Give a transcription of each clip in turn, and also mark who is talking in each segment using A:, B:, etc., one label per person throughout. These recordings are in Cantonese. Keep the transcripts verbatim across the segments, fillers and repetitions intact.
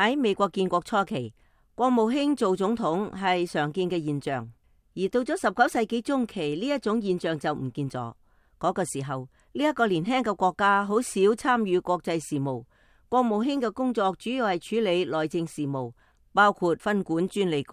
A: 喺美國建國初期，國務卿做總統係常見嘅現象，而到咗十九世紀中期，呢一種現象就唔見咗。嗰、那個時候，呢、這、一個年輕嘅國家好少參與國際事務，國務卿嘅工作主要係處理內政事務，包括分管專利局。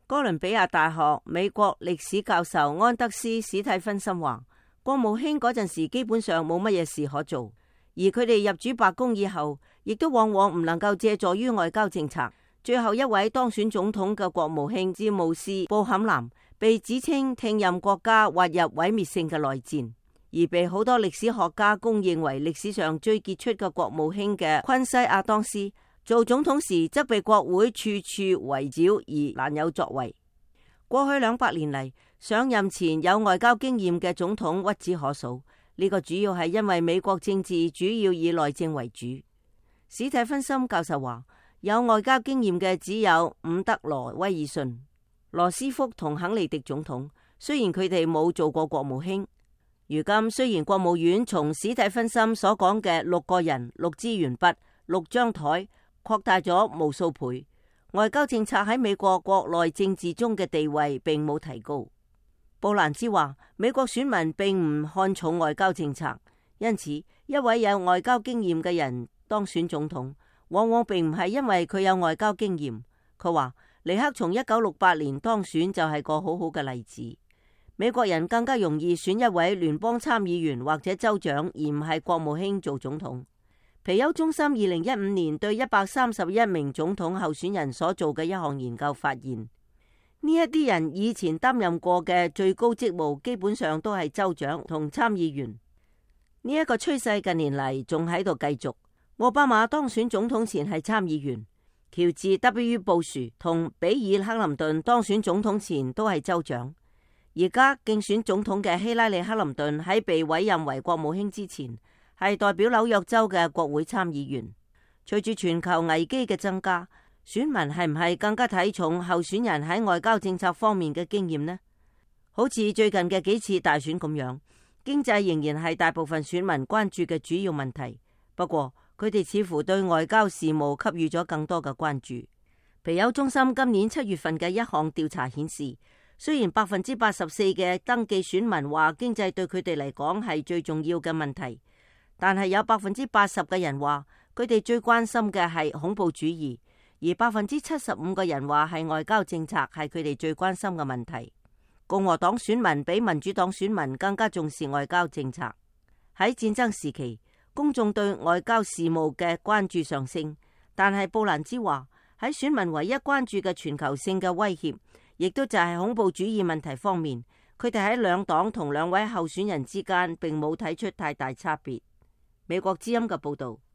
A: 哥倫比亞大學美國歷史教授安德斯史蒂芬森話，國務卿嗰陣時基本上冇乜嘢事可做。而佢哋入主白宮以後，亦都往往唔能夠借助於外交政策。最後一位當選總統嘅國務卿詹姆斯布坎南，被指稱聽任國家滑入毀滅性嘅內戰，而被好多歷史學家公認為歷史上最傑出嘅國務卿嘅昆西亞當斯，做總統時則被國會處處圍剿而難有作為。過去兩百年嚟，上任前有外交經驗嘅總統屈指可數。呢個主要係因為美國政治主要以內政為主。史蒂芬森教授話，有外交經驗嘅只有伍德羅威爾遜、羅斯福同肯尼迪總統，雖然佢哋冇做過國務卿。如今雖然國務院從史蒂芬森所講嘅六個人、六支鉛筆、六張台擴大咗無數倍，外交政策喺美國國內政治中嘅地位並冇提高。布蘭茲話，美國選民並唔看重外交政策，因此一位有外交經驗嘅人當選總統，往往並唔係因為佢有外交經驗。佢話尼克從一九六八年當選就係個好好嘅例子。美國人更加容易選一位聯邦參議員或者州長，而唔係國務卿做總統。皮尤中心二零一五年對一百三十一名總統候選人所做嘅一項研究發現，呢一啲人以前擔任過嘅最高職務基本上都係州長同參議員。呢、這、一個趨勢近年嚟仲喺度繼續。奧巴馬當選總統前係參議員，喬治 W 布殊同比爾克林頓當選總統前都係州長。而家競選總統嘅希拉里克林頓喺被委任為國務卿之前，係代表紐約州嘅國會參議員。隨住全球危機嘅增加，選民係唔係更加睇重候選人喺外交政策方面嘅經驗呢？好似最近嘅幾次大選咁樣，經濟仍然係大部分選民關注嘅主要問題。不過佢哋似乎對外交事務給予咗更多嘅關注。皮尤中心今年七月份嘅一項調查顯示，雖然百分之八十四嘅登記選民話經濟對佢哋嚟講係最重要嘅問題，但係有百分之八十嘅人話佢哋最關心嘅係恐怖主義。而百分之七十五個人話係外交政策係佢哋最關心嘅問題。共和黨選民比民主黨選民更加重視外交政策。喺戰爭時期，公眾對外交事務嘅關注上升，但係布蘭茲話喺選民唯一關注嘅全球性嘅威脅，亦都就係恐怖主義問題方面，佢哋喺兩黨同兩位候選人之間並冇睇出太大差別。美國之音嘅報道。